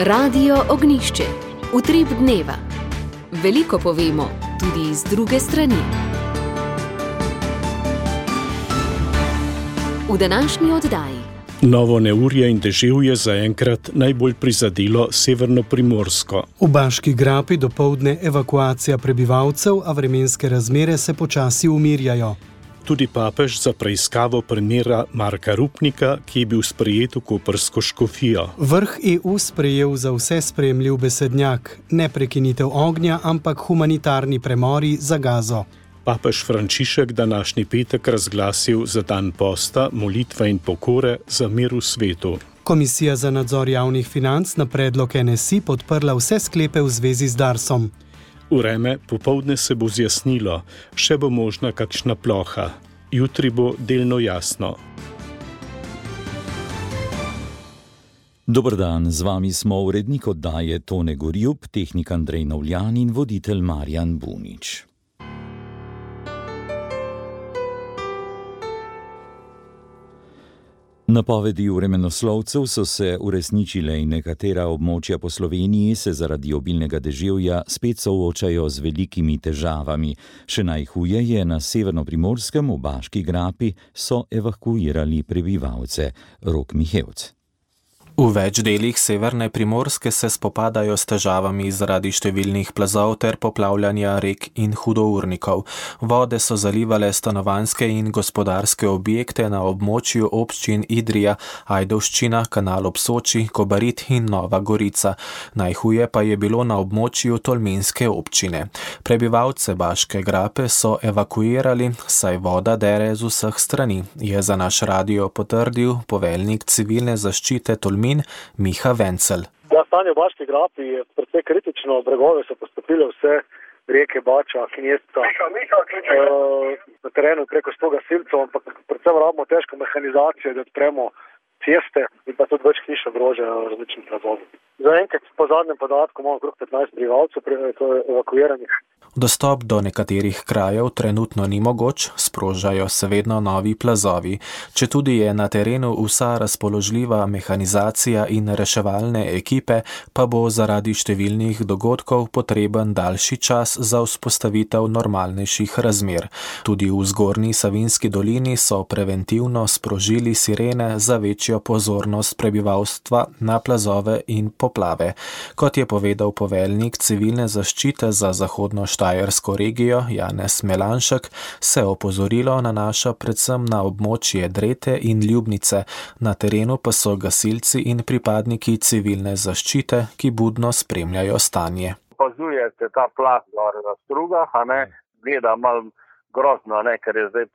Radio Ognjišče. Utrip dneva. Veliko povemo, tudi iz druge strani. V današnji oddaji. Novo neurje in deževje zaenkrat najbolj prizadelo severno Primorsko. V Baški grapi dopoldne evakuacija prebivalcev, a vremenske razmere se počasi umirjajo. Tudi papež za preiskavo primera Marka Rupnika, ki je bil sprejet v koprsko škofijo. Vrh EU sprejel za vse sprejemljiv besednjak, ne prekinitev ognja, ampak humanitarni premori za Gazo. Papež Frančišek današnji petek razglasil za dan posta, molitve in pokore za mir v svetu. Komisija za nadzor javnih financ na predlog NSI podprla vse sklepe v zvezi z Darsom. Vreme popoldne se bo zjasnilo, še bo možna kakšna ploha. Jutri bo delno jasno. Dober dan, z vami smo urednik oddaje Tone Gorjub, tehnik Andrej Novljan in voditelj Marjan Bunič. Napovedi vremenoslovcev so se uresničile in nekatera območja po Sloveniji se zaradi obilnega deževja spet soočajo z velikimi težavami. Še najhuje je na severno-primorskem, v Baški grapi, so evakuirali prebivalce. Rok Mihevc. V več delih severne Primorske se spopadajo s težavami zaradi številnih plazov ter poplavljanja rek in hudournikov. Vode so zalivale stanovanjske in gospodarske objekte na območju občin Idrija, Ajdovščina, Kanal ob Soči, Kobarid in Nova Gorica. Najhuje pa je bilo na območju tolminske občine. Prebivalce Baške grape so evakuirali, saj voda dere z vseh strani, je za naš radio potrdil poveljnik civilne zaščite Tolmin Miha Vencel. Stanje v Baški grapi je precej kritično, bregove so postopile vse reke Bača, Knjesca, na terenu preko 100 gasilcev, ampak predvsem rabimo težko mehanizacijo, da odpremo ceste in pa tudi več hiš ogrožajo različni plazovi. Zaenkrat po zadnjem podatku imamo okrog 15 prebivalcev evakuiranih. Dostop do nekaterih krajev trenutno ni mogoč, sprožajo se vedno novi plazovi. Četudi je na terenu vsa razpoložljiva mehanizacija in reševalne ekipe, pa bo zaradi številnih dogodkov potreben daljši čas za vzpostavitev normalnejših razmer. Tudi v Zgornji Savinjski dolini so preventivno sprožili sirene za večjo pozornost prebivalstva na plazove in poplave. Kot je povedal poveljnik civilne zaščite za zahodno Štajersko regijo Janez Melanšek, se opozorilo nanaša predvsem na območje Drete in Ljubnice, na terenu pa so gasilci in pripadniki civilne zaščite, ki budno spremljajo stanje. Opazujete ta plaz na strugah, gleda malo grozno, ker je zdaj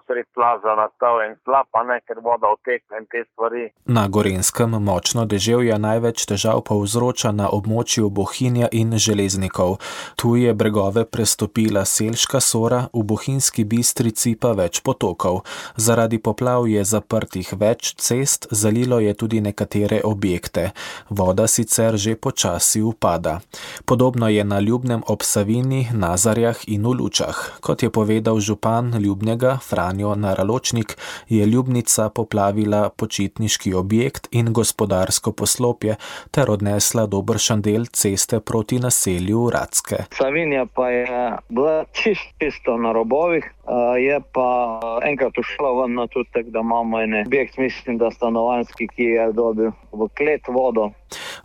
sred plaza nastal en slap, ker voda otekne in te stvari. Na Gorenjskem močno deževje največ težav povzroča na območju Bohinja in Železnikov. Tu je bregove prestopila Selška Sora, v Bohinjski Bistrici pa več potokov. Zaradi poplav je zaprtih več cest, zalilo je tudi nekatere objekte. Voda sicer že počasi upada. Podobno je na Ljubnem ob Savinji, Nazarjah in v Lučah. Kot je povedal župan Ljubnega Franjo Naraločnik, je Ljubnica poplavila počitniški objekt in gospodarsko poslopje ter odnesla dobršen del ceste proti naselju Racke. Savinja pa je bila čisto na robovih, je pa enkrat ušla ven na tutek, da imamo en objekt, mislim, da stanovanjski, ki je dobil v klet vodo.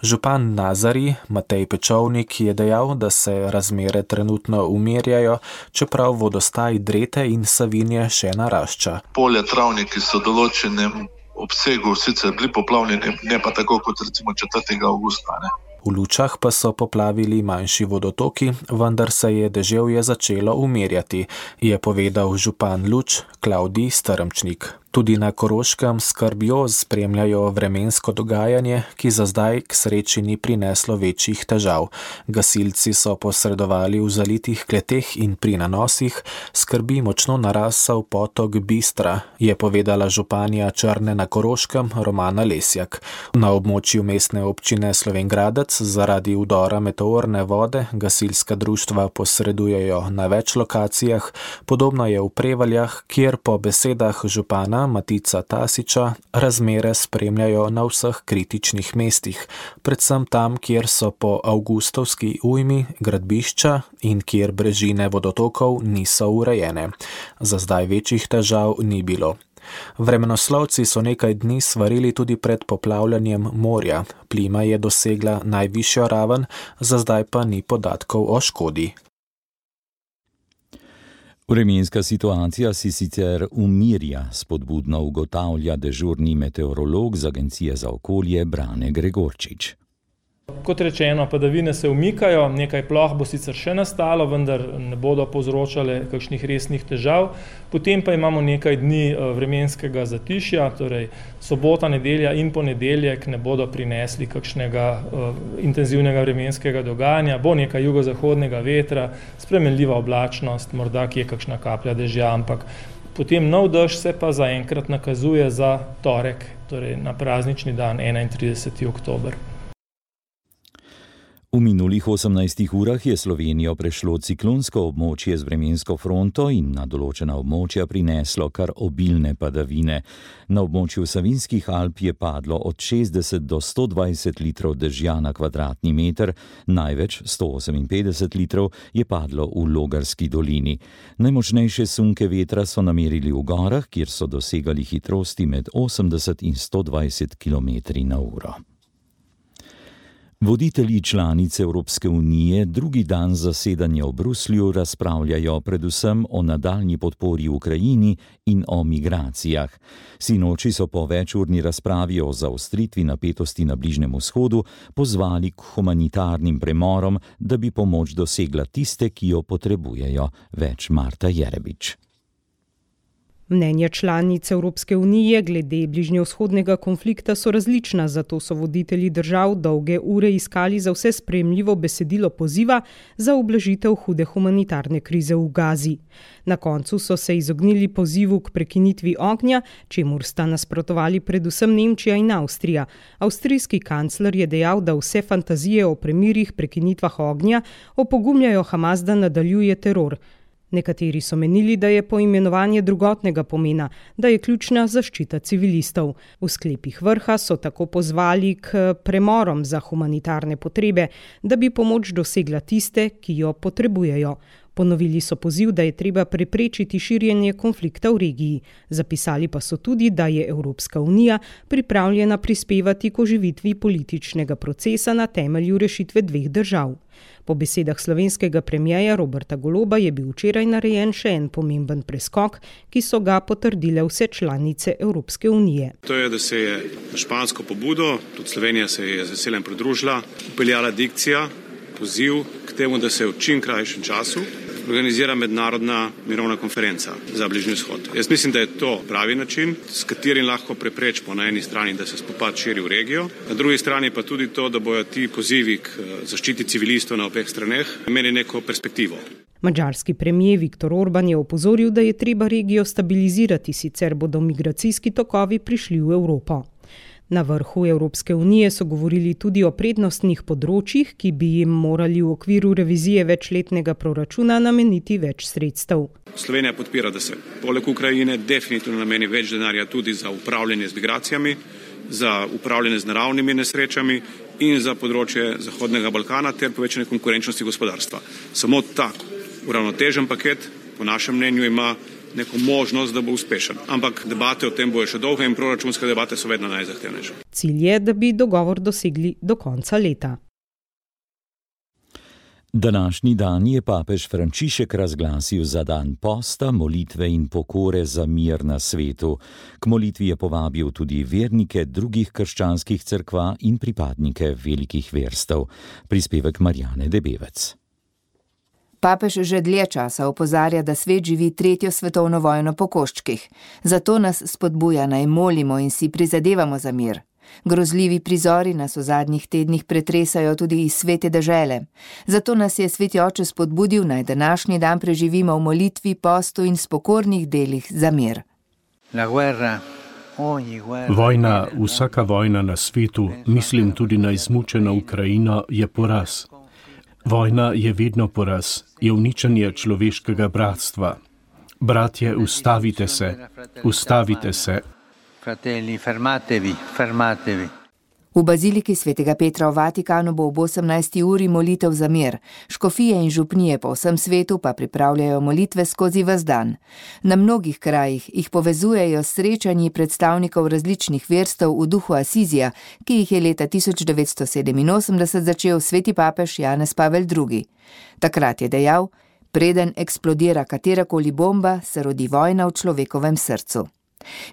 Župan Nazarij Matej Pečovnik je dejal, da se razmere trenutno umirjajo, čeprav vodostaj Drete in Savinje še narašča. Polja, travniki so v določenem obsegu sicer bili poplavljeni, ne pa tako kot recimo 4. avgusta. V Lučah pa so poplavili manjši vodotoki, vendar se je deževje začelo umirjati, je povedal župan Luč Klavdij Strmčnik. Tudi na Koroškem skrbjo spremljajo vremensko dogajanje, ki za zdaj k sreči ni prineslo večjih težav. Gasilci so posredovali v zalitih kleteh in pri nanosih, skrbi močno narasel potok Bistra, je povedala županja Črne na Koroškem Romana Lesjak. Na območju mestne občine Slovenj Gradec zaradi vdora meteorne vode gasilska društva posredujejo na več lokacijah, podobno je v Prevaljah, kjer po besedah župana župana Matica Tasiča razmere spremljajo na vseh kritičnih mestih, predvsem tam, kjer so po avgustovski ujmi gradbišča in kjer brežine vodotokov niso urejene. Za zdaj večjih težav ni bilo. Vremenoslovci so nekaj dni svarili tudi pred poplavljanjem morja. Plima je dosegla najvišjo raven, za zdaj pa ni podatkov o škodi. Vremenska situacija si sicer umirja, spodbudno ugotavlja dežurni meteorolog z Agencije za okolje Brane Gregorčič. Kot rečeno, padavine se umikajo, nekaj ploh bo sicer še nastalo, vendar ne bodo povzročale kakšnih resnih težav. Potem pa imamo nekaj dni vremenskega zatišja, torej sobota, nedelja in ponedeljek ne bodo prinesli kakšnega intenzivnega vremenskega dogajanja, bo nekaj jugozahodnega vetra, spremenljiva oblačnost, morda kje kakšna kaplja dežja, ampak potem nov dež se pa zaenkrat nakazuje za torek, torej na praznični dan 31. oktober. V minulih 18 urah je Slovenijo prešlo ciklonsko območje z vremensko fronto in na določena območja prineslo kar obilne padavine. Na območju Savinjskih Alp je padlo od 60 do 120 litrov dežja na kvadratni meter, največ 158 litrov je padlo v Logarski dolini. Najmočnejše sunke vetra so namerili v gorah, kjer so dosegali hitrosti med 80 in 120 km/h. Voditelji članic Evropske unije drugi dan zasedanja v Bruslju razpravljajo predvsem o nadaljnji podpori Ukrajini in o migracijah. Sinoči so po večurni razpravi o zaostritvi napetosti na Bližnjem vzhodu pozvali k humanitarnim premorom, da bi pomoč dosegla tiste, ki jo potrebujejo. Več Marta Jerebič. Mnenja članic Evropske unije glede bližnjevzhodnega konflikta so različna, zato so voditelji držav dolge ure iskali za vse sprejemljivo besedilo poziva za ublažitev hude humanitarne krize v Gazi. Na koncu so se izognili pozivu k prekinitvi ognja, čemur sta nasprotovali predvsem Nemčija in Avstrija. Avstrijski kancler je dejal, da vse fantazije o premirih, prekinitvah ognja opogumljajo Hamas, da nadaljuje teror. Nekateri so menili, da je poimenovanje drugotnega pomena, da je ključna zaščita civilistov. V sklepih vrha so tako pozvali k premorom za humanitarne potrebe, da bi pomoč dosegla tiste, ki jo potrebujejo. Ponovili so poziv, da je treba preprečiti širjenje konflikta v regiji. Zapisali pa so tudi, da je Evropska unija pripravljena prispevati k oživitvi političnega procesa na temelju rešitve dveh držav. Po besedah slovenskega premierja Roberta Goloba je bil včeraj narejen še en pomemben preskok, ki so ga potrdile vse članice Evropske unije. To je, da se je na špansko pobudo, tudi Slovenija se je z veseljem pridružila, upeljala dikcija, poziv k temu, da se v čim krajšem času organizira mednarodna mirovna konferenca za Bližnji vzhod. Jaz mislim, da je to pravi način, s katerim lahko preprečimo na eni strani, da se spopad širi v regijo, na drugi strani pa tudi to, da bojo ti pozivi k zaščiti civilistov na obeh straneh imeli neko perspektivo. Madžarski premier Viktor Orban je opozoril, da je treba regijo stabilizirati, sicer bodo migracijski tokovi prišli v Evropo. Na vrhu Evropske unije so govorili tudi o prednostnih področjih, ki bi jim morali v okviru revizije večletnega proračuna nameniti več sredstev. Slovenija podpira, da se poleg Ukrajine definitivno nameni več denarja tudi za upravljanje z migracijami, za upravljanje z naravnimi nesrečami in za področje Zahodnega Balkana ter povečanje konkurenčnosti gospodarstva. Samo tako uravnotežen paket, po našem mnenju, ima neko možnost, da bo uspešen. Ampak debate o tem bojo še dolge in proračunske debate so vedno najzahtevnejše. Cilj je, da bi dogovor dosegli do konca leta. Današnji dan je papež Frančišek razglasil za dan posta, molitve in pokore za mir na svetu. K molitvi je povabil tudi vernike drugih krščanskih cerkva in pripadnike velikih verstev. Prispevek Marjane Debevec. Papež že dlje časa opozarja, da svet živi 3. svetovno vojno po koščkih. Zato nas spodbuja, naj molimo in si prizadevamo za mir. Grozljivi prizori nas v zadnjih tednih pretresajo tudi iz svete dežele. Zato nas je sveti oče spodbudil, naj današnji dan preživimo v molitvi, postu in spokornih delih za mir. Vojna, vsaka vojna na svetu, mislim tudi na izmučeno Ukrajino, je poraz. Vojna je vedno poraz, je uničenje človeškega bratstva. Bratje, ustavite se, ustavite se. Fratelli, fermatevi, fermatevi. V baziliki svetega Petra v Vatikanu bo ob 18. uri molitev za mir. Škofije in župnije po vsem svetu pa pripravljajo molitve skozi ves dan. Na mnogih krajih jih povezujejo srečanji predstavnikov različnih verstev v duhu Asizija, ki jih je leta 1987 začel sveti papež Janez Pavel II. Takrat je dejal: preden eksplodira katerakoli bomba, se rodi vojna v človekovem srcu.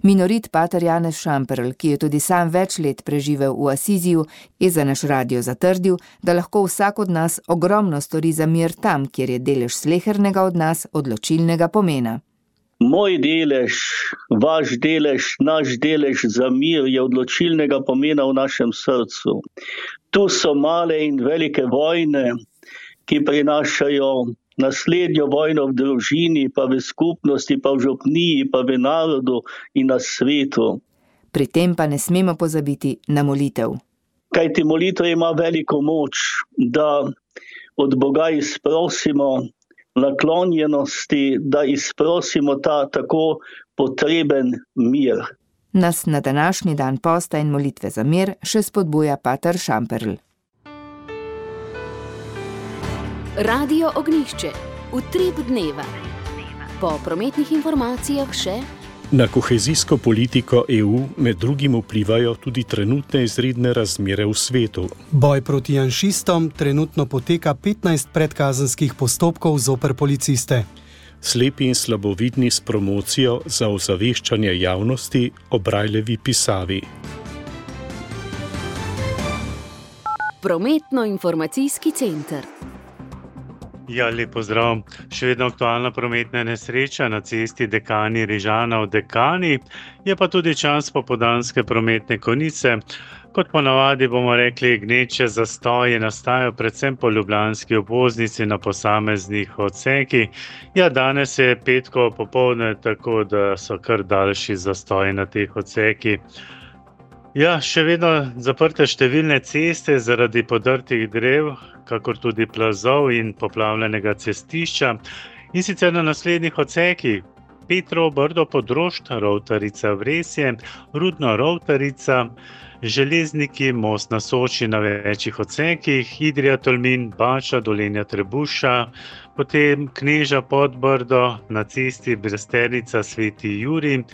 Minorit pater Janez Šamperl, ki je tudi sam več let preživel v Asiziju, je za naš radio zatrdil, da lahko vsak od nas ogromno stori za mir tam, kjer je delež slehernega od nas odločilnega pomena. Moj delež, vaš delež, naš delež za mir je odločilnega pomena v našem srcu. Tu so male in velike vojne, ki prinašajo naslednjo vojno v družini, pa v skupnosti, pa v župniji, pa v narodu in na svetu. Pri tem pa ne smemo pozabiti na molitev. Kajti molitev ima veliko moč, da od Boga izprosimo naklonjenosti, da izprosimo ta tako potreben mir. Nas na današnji dan posta in molitve za mir še spodbuja pater Šamperl. Radio Ognjišče, utrip dneva. Po prometnih informacijah še: na kohezijsko politiko EU med drugim vplivajo tudi trenutne izredne razmere v svetu. Boj proti janšistom trenutno poteka 15 predkazenskih postopkov zoper policiste. Slepi in slabovidni s promocijo za ozaveščanje javnosti o Brajlevi pisavi. Prometno-informacijski center. Ja, lep pozdrav. Še vedno aktualna prometna nesreča na cesti Dekani-Rižana v Dekani, je pa tudi čas popoldanske prometne konice. Kot ponavadi bomo rekli, gneče zastoji nastajajo predvsem po ljubljanski obvoznici na posameznih odsekih. Ja, danes je petkovo popoldne, tako da so kar daljši zastoji na teh odsekih. Ja, še vedno zaprte številne ceste zaradi podrtih drev, kakor tudi plazov in poplavljenega cestišča. In sicer na naslednjih odsekih: Petrovo Brdo Podrožd, Rovtarica Vresje, Rudno Rovtarica, Železniki, most na Soči na večjih odsekih, Idrija Tolmin, Bača, Dolenja Trebuša, potem Kneža Podbrdo na cesti Brestenica Sveti Jurij,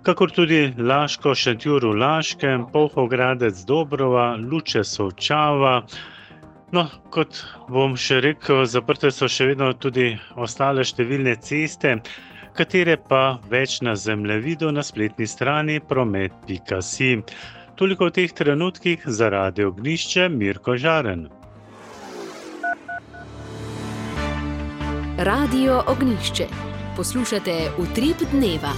kakor tudi Laško Šentjur v Laškem, Polhogradec Dobrova, Luče Solčava. No, kot bom še rekel, zaprte so še vedno tudi ostale številne ceste, katere pa več na zemljevidu na spletni strani promet.si. Toliko v teh trenutkih za Radio Ognjišče, Mirko Žaren. Radio Ognjišče. Poslušate Utrip dneva.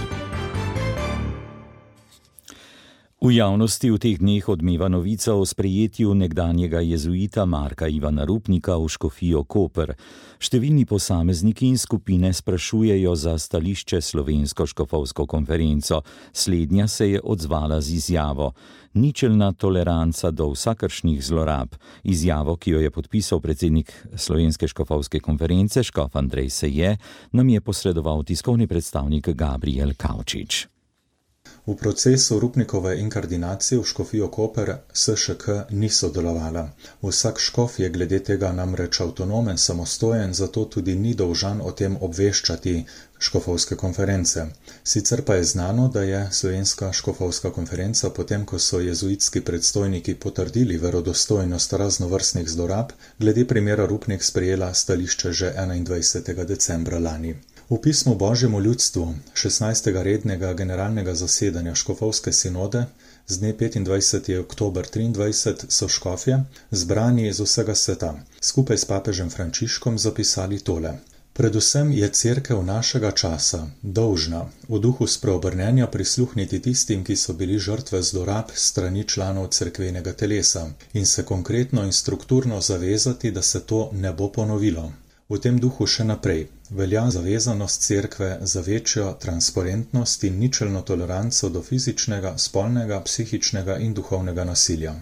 V javnosti v teh dneh odmeva novica o sprejetju nekdanjega jezuita Marka Ivana Rupnika v Škofijo Koper. Številni posamezniki in skupine sprašujejo za stališče Slovensko škofovsko konferenco. Slednja se je odzvala z izjavo: ničelna toleranca do vsakršnih zlorab. Izjavo, ki jo je podpisal predsednik Slovenske škofovske konference, škof Andrej Seje, nam je posredoval tiskovni predstavnik Gabriel Kavčič. V procesu Rupnikove inkardinacije v Škofijo Koper SŠK ni sodelovala. Vsak škof je glede tega namreč avtonomen, samostojen, zato tudi ni dolžan o tem obveščati škofovske konference. Sicer pa je znano, da je Slovenska škofovska konferenca, potem ko so jezuitski predstojniki potrdili verodostojnost raznovrstnih zlorab, glede primera Rupnik sprejela stališče že 21. decembra lani. V pismu Božjemu ljudstvu 16. rednega generalnega zasedanja škofovske sinode z dne 25. oktober 23 so škofje, zbrani iz vsega sveta, skupaj s papežem Frančiškom zapisali tole: predvsem je cerkev našega časa dolžna v duhu spreobrnenja prisluhniti tistim, ki so bili žrtve zlorab strani članov cerkvenega telesa, in se konkretno in strukturno zavezati, da se to ne bo ponovilo. V tem duhu še naprej velja zavezanost cerkve za večjo transparentnost in ničelno toleranco do fizičnega, spolnega, psihičnega in duhovnega nasilja.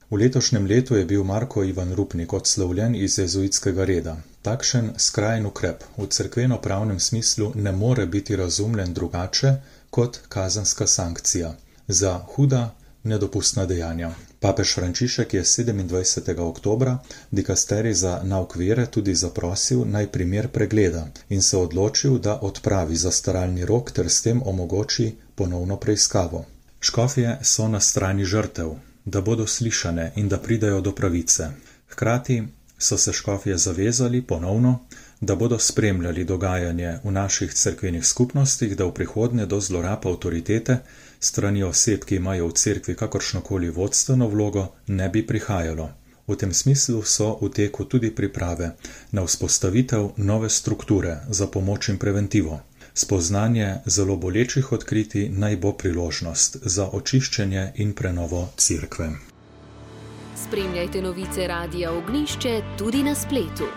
V letošnjem letu je bil Marko Ivan Rupnik odslovljen iz jezuitskega reda. Takšen skrajen ukrep v cerkveno-pravnem smislu ne more biti razumljen drugače kot kazenska sankcija za huda, nedopustna dejanja. Papež Frančišek je 27. oktobra dikasterij za nauk vere tudi zaprosil, naj primer pregleda in se odločil, da odpravi zastaralni rok ter s tem omogoči ponovno preiskavo. Škofje so na strani žrtev, da bodo slišane in da pridejo do pravice. Hkrati so se škofje zavezali ponovno, da bodo spremljali dogajanje v naših cerkvenih skupnostih, da v prihodnje do zlorab avtoritete strani oseb, ki imajo v cerkvi kakršnokoli vodstveno vlogo, ne bi prihajalo. V tem smislu so v teku tudi priprave na vzpostavitev nove strukture za pomoč in preventivo. Spoznanje zelo bolečih odkritij naj bo priložnost za očiščenje in prenovo cerkve. Spremljajte novice Radia Ognjišče tudi na spletu.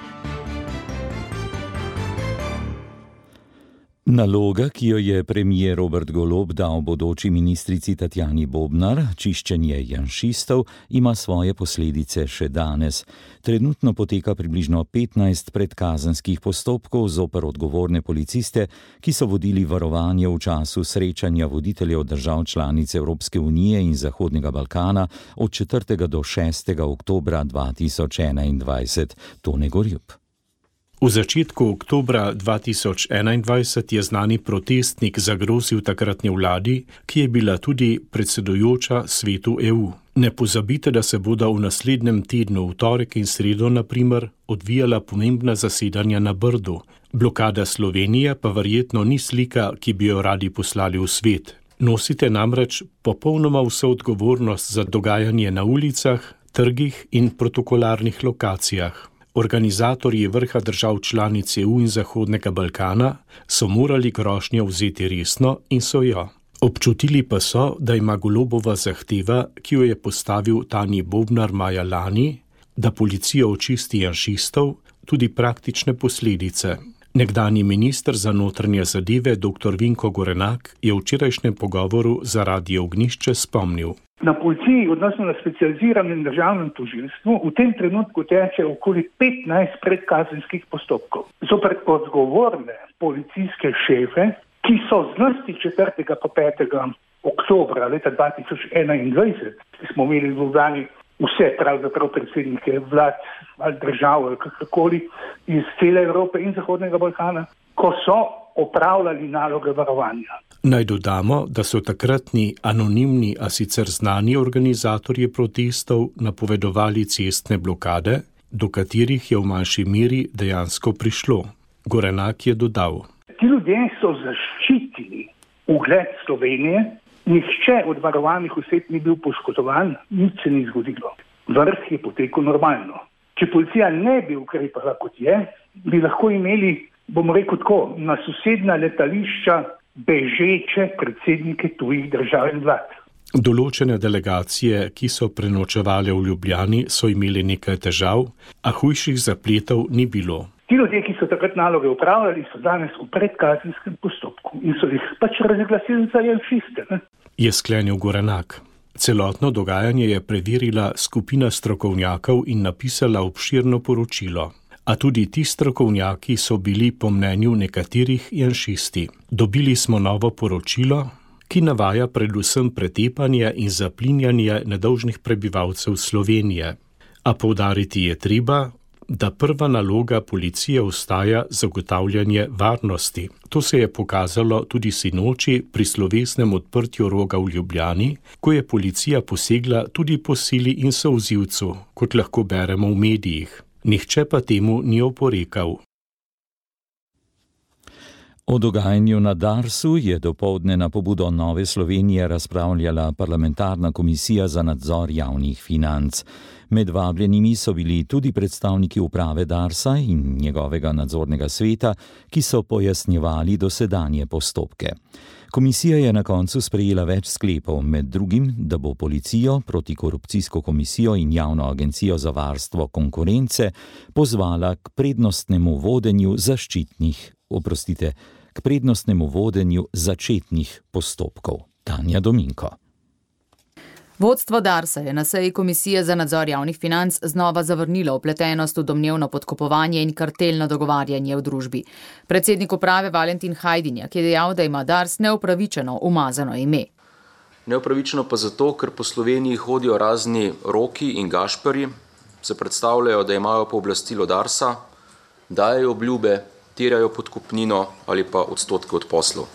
Naloga, ki jo je premier Robert Golob dal bodoči ministrici Tatjani Bobnar, čiščenje janšistov, ima svoje posledice še danes. Trenutno poteka približno 15 predkazenskih postopkov zoper odgovorne policiste, ki so vodili varovanje v času srečanja voditeljev držav članic Evropske unije in Zahodnega Balkana od 4. do 6. oktobra 2021. Tone Gorjup. V začetku oktobra 2021 je znani protestnik zagrozil takratni vladi, ki je bila tudi predsedujoča Svetu EU. Ne pozabite, da se bodo v naslednjem tednu, v torek in sredo, na primer, odvijala pomembna zasedanja na Brdu. Blokada Slovenije pa verjetno ni slika, ki bi jo radi poslali v svet. Nosite namreč popolnoma vso odgovornost za dogajanje na ulicah, trgih in protokolarnih lokacijah. Organizatorji vrha držav članic EU in Zahodnega Balkana so morali grožnjo vzeti resno in so jo. Občutili pa so, da ima Golobova zahteva, ki jo je postavil Tanji Bobnar maja lani, da policija očisti janšistov, tudi praktične posledice. Nekdanji minister za notranje zadeve dr. Vinko Gorenak je v včerajšnjem pogovoru za Radio Ognjišče spomnil. Na policiji, odnosno na specializiranem državnem tožilstvu, v tem trenutku teče okoli 15 predkazenskih postopkov. Zoper odgovorne policijske šefe, ki so zlasti 4. pa 5. oktobra leta 2021, ki smo imeli v Ljubljani vse pravzaprav predsednike vlad ali držav ali kakorkoli iz cele Evrope in Zahodnega Balkana, ko so opravljali naloge varovanja. Naj dodamo, da so takratni anonimni, a sicer znani organizatorji protestov napovedovali cestne blokade, do katerih je v manjši meri dejansko prišlo. Gorenak je dodal. Ti ljudje so zaščitili ugled Slovenije, nihče od varovanih oseb ni bil poškodovan, nič se ni zgodilo. Vrh je potekel normalno. Če policija ne bi ukrepala kot je, bi lahko imeli, bomo rekel tako, na sosednja letališča bežeče predsednike tujih držav in vlad. Določene delegacije, ki so prenočevale v Ljubljani, so imeli nekaj težav, a hujših zapletov ni bilo. Ti ljudje, ki so takrat naloge upravljali, so danes v predkazenskem postopku in so jih pač razglasili za janšiste. Je sklenil Gorenak. Celotno dogajanje je preverila skupina strokovnjakov in napisala obširno poročilo. A tudi ti strokovnjaki so bili po mnenju nekaterih janšisti. Dobili smo novo poročilo, ki navaja predvsem pretepanje in zaplinjanje nedolžnih prebivalcev Slovenije. A poudariti je treba, da prva naloga policije ostaja zagotavljanje varnosti. To se je pokazalo tudi sinoči pri slovesnem odprtju Roga v Ljubljani, ko je policija posegla tudi po sili in solzivcu, kot lahko beremo v medijih. Nihče pa temu ni oporekal. O dogajanju na Darsu je dopoldne na pobudo Nove Slovenije razpravljala parlamentarna komisija za nadzor javnih financ. Med vabljenimi so bili tudi predstavniki uprave Darsa in njegovega nadzornega sveta, ki so pojasnjevali dosedanje postopke. Komisija je na koncu sprejela več sklepov, med drugim, da bo policijo, protikorupcijsko komisijo in javno agencijo za varstvo konkurence pozvala k prednostnemu vodenju začetnih postopkov. Tanja Dominko. Vodstvo Darsa je na seji Komisije za nadzor javnih financ znova zavrnilo vpletenost v domnevno podkupovanje in kartelno dogovarjanje v družbi. Predsednik uprave Valentin Hajdinjak je dejal, da ima Dars neupravičeno umazano ime. Neupravičeno pa zato, ker po Sloveniji hodijo razni Roki in Gašperji, se predstavljajo, da imajo pooblastilo Darsa, dajejo obljube, terjajo podkupnino ali pa odstotke od poslov.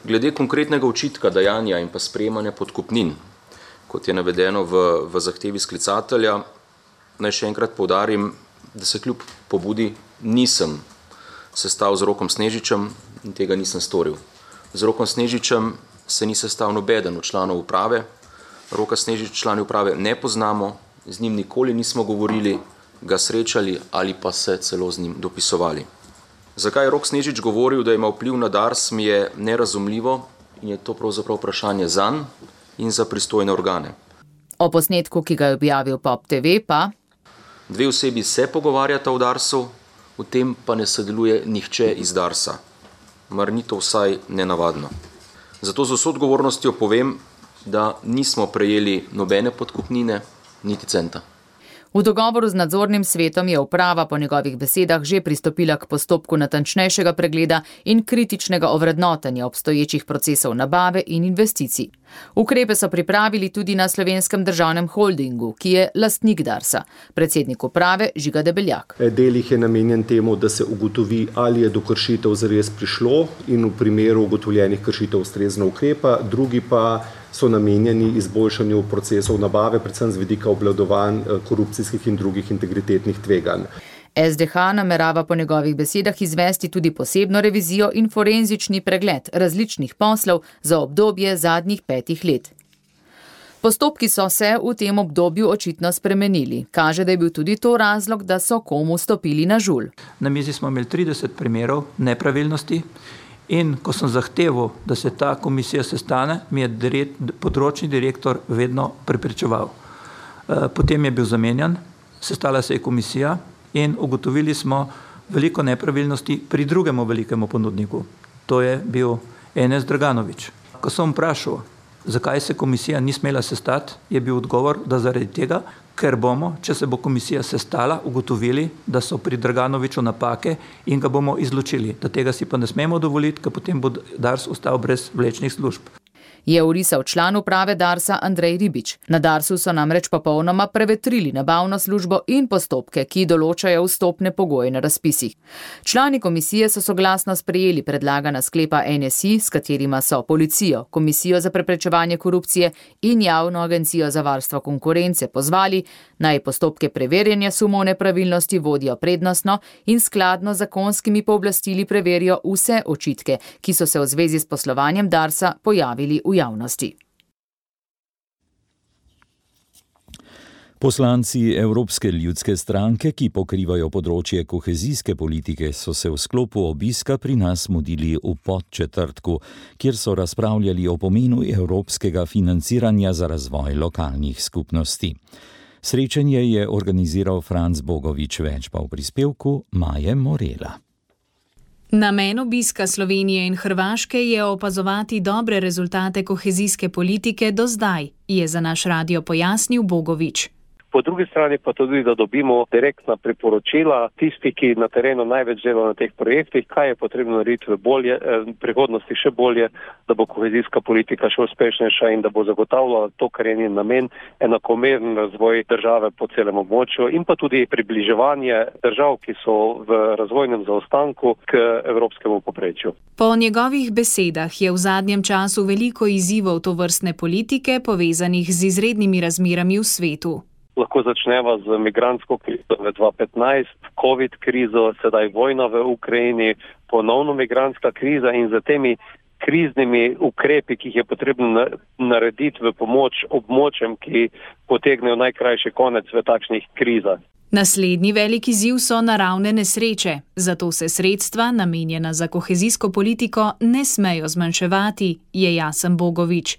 Glede konkretnega očitka dajanja in pa sprejemanja podkupnin, kot je navedeno v zahtevi sklicatelja, naj še enkrat poudarim, da se kljub pobudi nisem sestal z Rokom Snežičem in tega nisem storil. Z Rokom Snežičem se ni sestal nobeden od članov uprave. Roka Snežič člani uprave ne poznamo, z njim nikoli nismo govorili, ga srečali ali pa se celo z njim dopisovali. Zakaj je Rok Snežič govoril, da ima vpliv na Dars, mi je nerazumljivo in je to pravzaprav vprašanje zanj in za pristojne organe. O posnetku, ki ga je objavil Pop TV, pa 2 osebi se pogovarjata v Darsu, v tem pa ne sodeluje nihče iz Darsa. Mar ni to vsaj nenavadno. Zato z vso odgovornostjo povem, da nismo prejeli nobene podkupnine, niti centa. V dogovoru z nadzornim svetom je uprava po njegovih besedah že pristopila k postopku natančnejšega pregleda in kritičnega ovrednotenja obstoječih procesov nabave in investicij. Ukrepe so pripravili tudi na Slovenskem državnem holdingu, ki je lastnik Darsa. Predsednik uprave Žiga Debeljak. Del jih je namenjen temu, da se ugotovi, ali je do kršitev zares prišlo in v primeru ugotovljenih kršitev ustrezno ukrepa, drugi pa so namenjeni izboljšanju procesov nabave, predvsem z vidika obvladovanj korupcijskih in drugih integritetnih tveganj. SDH namerava po njegovih besedah izvesti tudi posebno revizijo in forenzični pregled različnih poslov za obdobje zadnjih 5 let. Postopki so se v tem obdobju očitno spremenili. Kaže, da je bil tudi to razlog, da so komu stopili na žulj. Na mizi smo imeli 30 primerov nepravilnosti. In ko sem zahteval, da se ta komisija sestane, mi je področni direktor vedno preprečeval. Potem je bil zamenjan, sestala se je komisija in ugotovili smo veliko nepravilnosti pri drugemu velikemu ponudniku. To je bil Enes Draganović. Ko sem vprašal, zakaj se komisija ni smela sestati, je bil odgovor, da zaradi tega, ker bomo, če se bo komisija sestala, ugotovili, da so pri Draganoviću napake in ga bomo izločili. Da tega si pa ne smemo dovoliti, ker potem bo Dars ostal brez vlečnih služb. Je orisal član uprave Darsa Andrej Ribič. Na Darsu so namreč popolnoma prevetrili nabavno službo in postopke, ki določajo vstopne pogoje na razpisih. Člani komisije so soglasno sprejeli predlagana sklepa NSI, s katerima so policijo, Komisijo za preprečevanje korupcije in Javno agencijo za varstvo konkurence pozvali, naj postopke preverjanja sumov nepravilnosti vodijo prednostno in skladno z zakonskimi pooblastili preverijo vse očitke, ki so se v zvezi s poslovanjem Darsa pojavili v javnosti. Poslanci Evropske ljudske stranke, ki pokrivajo področje kohezijske politike, so se v sklopu obiska pri nas mudili v Podčetrtku, kjer so razpravljali o pomenu evropskega financiranja za razvoj lokalnih skupnosti. Srečanje je organiziral Franc Bogovič, več pa v prispevku Maje Morela. Namen obiska Slovenije in Hrvaške je opazovati dobre rezultate kohezijske politike do zdaj, je za naš radio pojasnil Bogovič. Po drugi strani pa tudi, da dobimo direktna priporočila tisti, ki na terenu največ delajo na teh projektih, kaj je potrebno narediti v prihodnosti še bolje, da bo kohezijska politika še uspešnejša in da bo zagotavljala to, kar je njen namen, enakomeren razvoj države po celem območju in pa tudi približevanje držav, ki so v razvojnem zaostanku k evropskemu povprečju. Po njegovih besedah je v zadnjem času veliko izzivov tovrstne politike povezanih z izrednimi razmerami v svetu. Lahko začneva z migrantsko krizo v 2015, COVID krizo, sedaj vojna v Ukrajini, ponovno migrantska kriza in za temi kriznimi ukrepi, ki jih je potrebno narediti v pomoč območjem, ki potegnejo najkrajši konec v takšnih krizah. Naslednji veliki izziv so naravne nesreče, zato se sredstva, namenjena za kohezijsko politiko, ne smejo zmanjševati, je jasen Bogovič.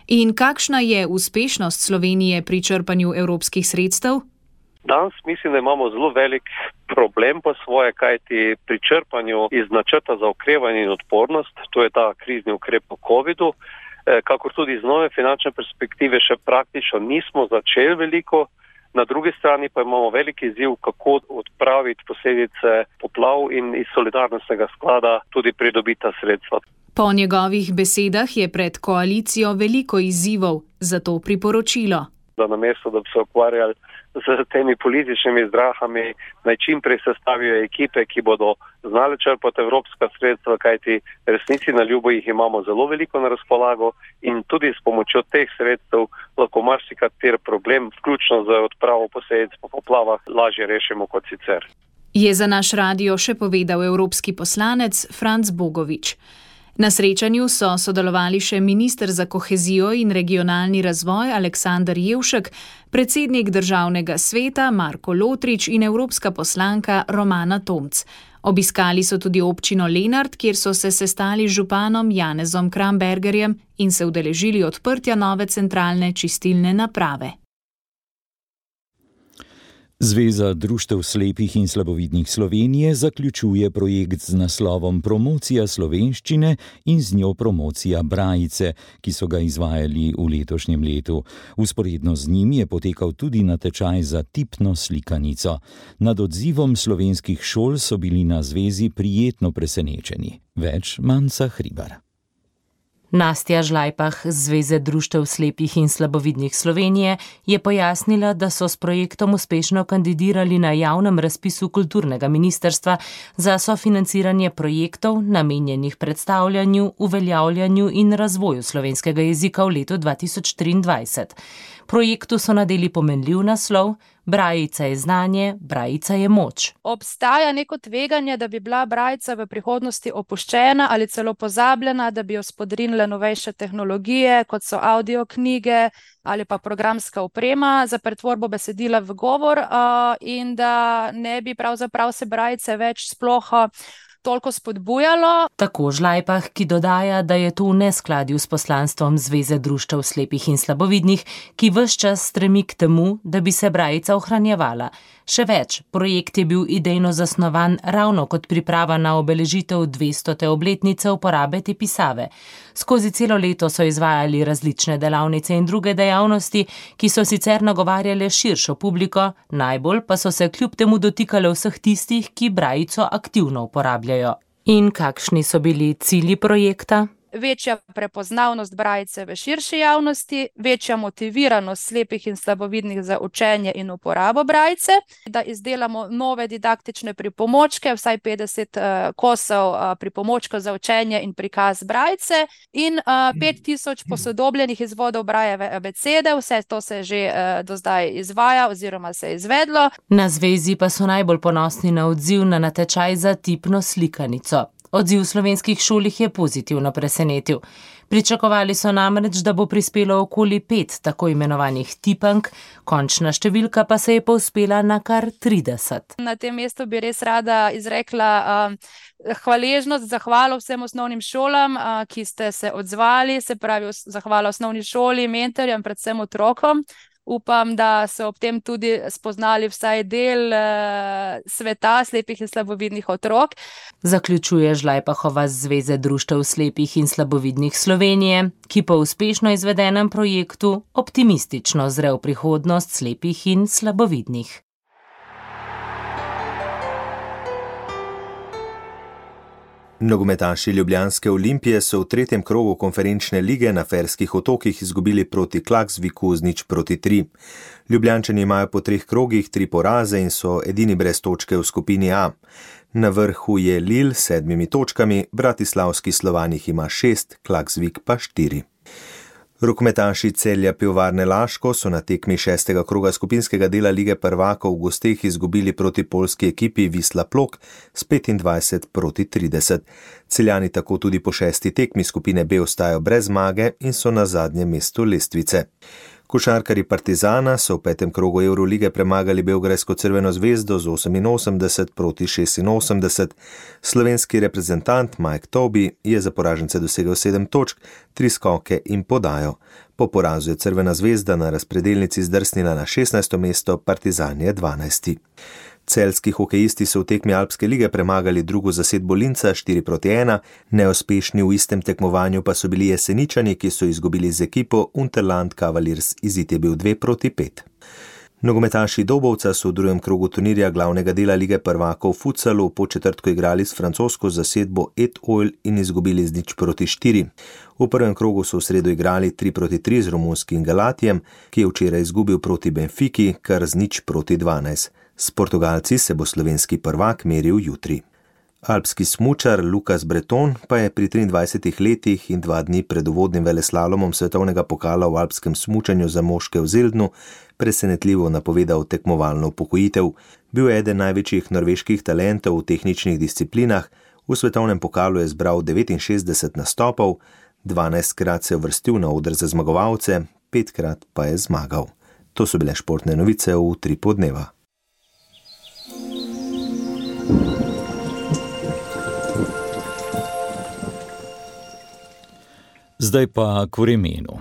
In kakšna je uspešnost Slovenije pri črpanju evropskih sredstev? Danes mislim, da imamo zelo velik problem po svoje, kajti pri črpanju iz načrta za okrevanje in odpornost, to je ta krizni ukrep po COVID-u, kakor tudi z nove finančne perspektive še praktično nismo začeli veliko. Na drugi strani pa imamo veliki izziv, kako odpraviti posledice poplav in iz solidarnostnega sklada tudi pridobiti sredstva. Po njegovih besedah je pred koalicijo veliko izzivov, zato priporočilo. Da namesto, da bi se ukvarjali z temi političnimi zdrahami, naj čim prej sestavijo ekipe, ki bodo znali črpati evropska sredstva, kajti resnici na ljubo jih imamo zelo veliko na razpolago in tudi s pomočjo teh sredstev lahko marsikateri problem, vključno z odpravo posledic po poplavah, lažje rešimo kot sicer. Je za naš radio še povedal evropski poslanec Franc Bogovič. Na srečanju so sodelovali še minister za kohezijo in regionalni razvoj Aleksander Jevšek, predsednik državnega sveta Marko Lotrič in evropska poslanka Romana Tomc. Obiskali so tudi občino Lenart, kjer so se sestali z županom Janezom Krambergerjem in se udeležili odprtja nove centralne čistilne naprave. Zveza društev slepih in slabovidnih Slovenije zaključuje projekt z naslovom Promocija slovenščine in z njo promocija brajice, ki so ga izvajali v letošnjem letu. Vzporedno z njim je potekal tudi natečaj za tipno slikanico. Nad odzivom slovenskih šol so bili na zvezi prijetno presenečeni. Več Manca Hribar. Nastja Žlajpah z Zveze društev slepih in slabovidnih Slovenije je pojasnila, da so s projektom uspešno kandidirali na javnem razpisu kulturnega ministrstva za sofinanciranje projektov namenjenih predstavljanju, uveljavljanju in razvoju slovenskega jezika v letu 2023. Projektu so nadeli pomenljiv naslov Brajica je znanje, brajica je moč. Obstaja neko tveganje, da bi bila brajica v prihodnosti opuščena ali celo pozabljena, da bi jo spodrinile novejše tehnologije, kot so audioknjige ali pa programska oprema za pretvorbo besedila v govor in da ne bi pravzaprav se brajice več sploh toliko spodbujalo. Tako Žlajpah, ki dodaja, da je to v neskladju s poslanstvom Zveze društev slepih in slabovidnih, ki ves čas stremi k temu, da bi se brajica ohranjevala. Še več, projekt je bil idejno zasnovan ravno kot priprava na obeležitev 200. obletnice uporabe te pisave. Skozi celo leto so izvajali različne delavnice in druge dejavnosti, ki so sicer nagovarjale širšo publiko, najbolj pa so se kljub temu dotikale vseh tistih, ki brajico aktivno uporabljajo. In kakšni so bili cilji projekta? Večja prepoznavnost brajice v širši javnosti, večja motiviranost slepih in slabovidnih za učenje in uporabo brajice, da izdelamo nove didaktične pripomočke, vsaj 50 kosov pripomočkov za učenje in prikaz brajice in 5000 posodobljenih izvodov Brajeve abecede. Vse to se že do zdaj izvaja oziroma se je izvedlo. Na zvezi pa so najbolj ponosni na odziv na natečaj za tipno slikanico. Odziv slovenskih šol jih je pozitivno presenetil. Pričakovali so namreč, da bo prispelo okoli 5 tako imenovanih tipank, končna številka pa se je povzpela na kar 30. Na tem mestu bi res rada izrekla hvaležnost, zahvalo vsem osnovnim šolam, ki ste se odzvali, se pravi zahvala osnovni šoli, mentorjem, predvsem otrokom. Upam, da so ob tem tudi spoznali vsaj del sveta slepih in slabovidnih otrok. Zaključuje Žlajpahova z Zveze društev slepih in slabovidnih Slovenije, ki po uspešno izvedenem projektu optimistično zre v prihodnost slepih in slabovidnih. Nogometaši ljubljanske Olimpije so v 3. krogu konferenčne lige na Ferskih otokih izgubili proti Klaksviku z 0-3. Ljubljančani imajo po 3 krogih 3 poraze in so edini brez točke v skupini A. Na vrhu je Lille s 7 točkami, bratislavski Slovan jih ima 6, Klaksvik pa 4. Rokometaši Celja Pivovarne Laško so na tekmi 6. kroga skupinskega dela Lige prvakov v gosteh izgubili proti poljski ekipi Wisla Plock s 25-30. Celjani tako tudi po 6. tekmi skupine B ostajajo brez zmage in so na zadnjem mestu lestvice. Košarkarji Partizana so v 5. krogu Evrolige premagali Beograjsko Crveno zvezdo z 88-86. Slovenski reprezentant Mike Toby je za poražence dosegel 7 točk, 3 skoke in podajo. Po porazu je Crvena zvezda na razpredelnici zdrsnila na 16. mesto, Partizan je 12. Celjski hokejisti so v tekmi Alpske lige premagali drugo zasedbo Linca 4-1, neuspešni v istem tekmovanju pa so bili Jeseničani, ki so izgubili z ekipo Unterland Cavaliers, izid je bil 2-5. Nogometaši Dobovca so v drugem krogu turnirja glavnega dela lige prvakov v futsalu po četrtku igrali s francosko zasedbo Et-Oil in izgubili z 0-4. V prvem krogu so v sredo igrali 3-3 z romunskim Galatijem, ki je včeraj izgubil proti Benfiki kar z 0-12. S Portugalci se bo slovenski prvak meril jutri. Alpski smučar Lukas Breton pa je pri 23 letih in 2 dni pred uvodnim veleslalomom svetovnega pokala v alpskem smučanju za moške v Zeldnu presenetljivo napovedal tekmovalno upokojitev. Bil je eden največjih norveških talentov v tehničnih disciplinah, v svetovnem pokalu je zbral 69 nastopov, 12krat se je uvrstil na oder za zmagovalce, 5krat pa je zmagal. To so bile športne novice v Utripu dneva. Zdaj pa k vremenu.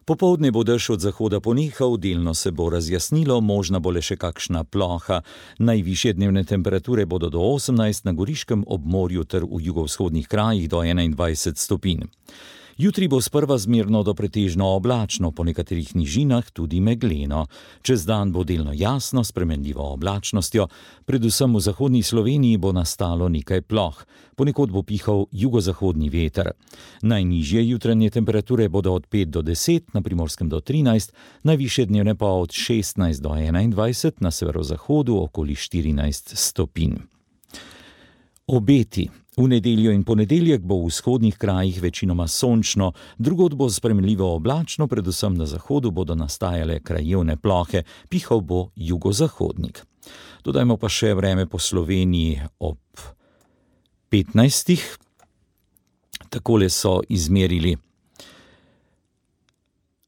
Popoldne bo dež od zahoda ponehal, delno se bo razjasnilo, možna bo le še kakšna ploha. Najvišje dnevne temperature bodo do 18 na Goriškem obmorju ter v jugovzhodnih krajih do 21 stopinj. Jutri bo sprva zmerno do pretežno oblačno, po nekaterih nižinah tudi megleno. Čez dan bo delno jasno, s spremenljivo oblačnostjo, predvsem v zahodni Sloveniji bo nastalo nekaj ploh. Ponekod bo pihal jugozahodni veter. Najnižje jutranje temperature bodo od 5 do 10, na Primorskem do 13, najvišje dnevne pa od 16 do 21, na severozahodu okoli 14 stopinj. Obeti. V nedeljo in ponedeljek bo v vzhodnih krajih večinoma sončno, drugod bo spremenljivo oblačno, predvsem na zahodu bodo nastajale krajevne plohe, pihal bo jugozahodnik. Dodajmo pa še vreme po Sloveniji ob 15. Takole so izmerili.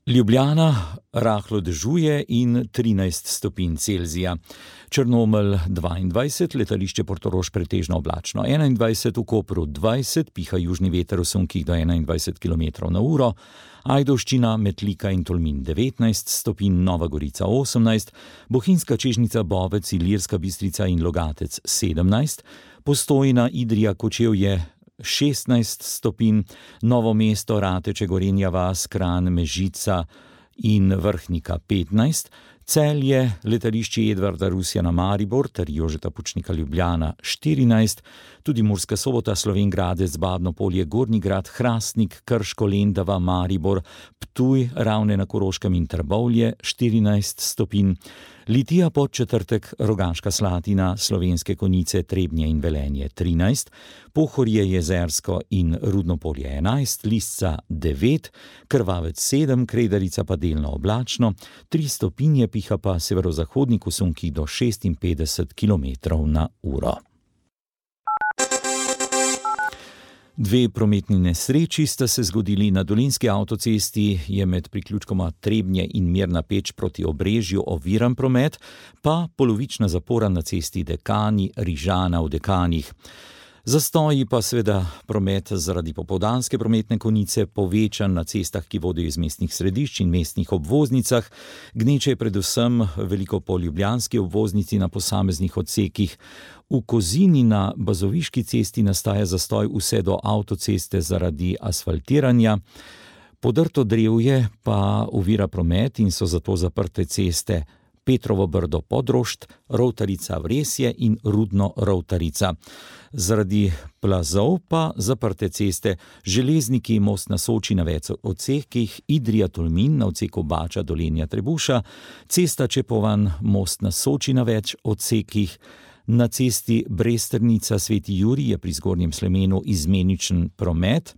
Ljubljana rahlo dežuje in 13 stopinj Celzija. Črnomelj 22, letališče Portorož pretežno oblačno 21, v Kopru 20, piha južni veter v sunkih do 21 km/h, Ajdovščina, Metlika in Tolmin 19 stopinj, Nova Gorica 18, Bohinjska Čežnica, Bovec, Ilirska Bistrica in Logatec 17, Postojna, Idrija, Kočevje 16 stopinj, Novo mesto, Rateče, Gorenja vas, Kranj, Mežica in Vrhnika 15, Celje, letališče Edvarda Rusjana Maribor ter Jožeta Pučnika Ljubljana 14, tudi Murska Sobota, Slovenj Gradec, Babno Polje, Gornji Grad, Hrastnik, Krško, Lendava, Maribor, Ptuj, Ravne na Koroškem in Trbovlje 14 stopinj, Litija, Podčetrtek, Rogaška Slatina, Slovenske Konjice, Trebnje in Velenje 13, Pohorje, Jezersko in Rudno Polje 11, Lisca 9, Krvavec 7, Kredarica pa delno oblačno, 3 stopinje, piha pa severozahodnik v sunkih do 56 km/h. 2 prometni nesreči sta se zgodili na Dolenjski avtocesti, je med priključkoma Trebnje in Mirna Peč proti Obrežju oviran promet, pa polovična zapora na cesti Dekani-Rižana v Dekanih. Zastoji pa seveda promet zaradi popoldanske prometne konice povečan na cestah, ki vodijo iz mestnih središč in mestnih obvoznicah. Gneče je predvsem veliko po ljubljanski obvoznici na posameznih odsekih. V Kozini na Bazoviški cesti nastaja zastoj vse do avtoceste zaradi asfaltiranja. Podrto drevje pa ovira promet in so zato zaprte ceste Petrovo Brdo Podrošt, Rovtarica Vresje in Rudno Rovtarica. Zaradi plazov pa zaprte ceste Železniki, Most na Soči na več odsekih, Idrija Tolmin na odseku Bača Dolenja Trebuša, cesta Čepovan, Most na Soči na več odsekih, na cesti Bresternica Sveti Jurij je pri Zgornjem Slemenu izmeničen promet.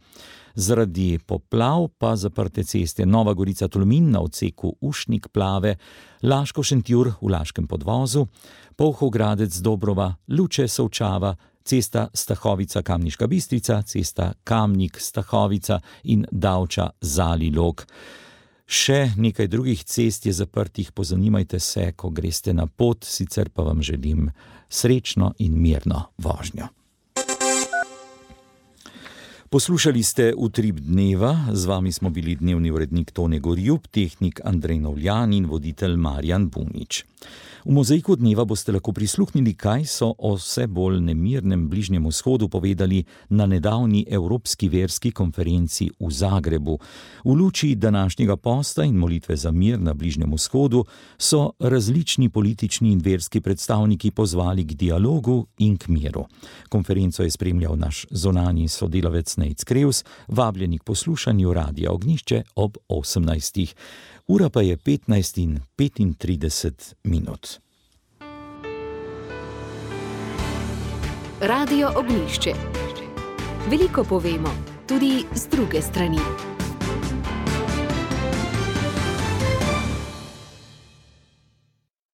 Zaradi poplav pa zaprte ceste Nova Gorica Tolmin na odseku Ušnik Plave, Laško Šentjur v Laškem podvozu, Polhov Gradec Dobrova, Luče Solčava, cesta Stahovica Kamniška Bistrica, cesta Kamnik Stahovica in Davča Zalilog. Še nekaj drugih cest je zaprtih, pozanimajte se, ko greste na pot, sicer pa vam želim srečno in mirno vožnjo. Poslušali ste Utrip dneva, z vami smo bili dnevni urednik Tone Gorjup, tehnik Andrej Novljan in voditelj Marjan Bunič. V mozaiku dneva boste lahko prisluhnili, kaj so o vse bolj nemirnem Bližnjem vzhodu povedali na nedavni Evropski verski konferenci v Zagrebu. V luči današnjega posta in molitve za mir na Bližnjem vzhodu so različni politični in verski predstavniki pozvali k dialogu in k miru. Konferenco je spremljal naš zonanji sodelavec Nejc Krevs, vabljeni k poslušanju Radia Ognjišče ob 18. Ura pa je 15:35 minut. Radio Ognjišče. Veliko povemo, tudi z druge strani.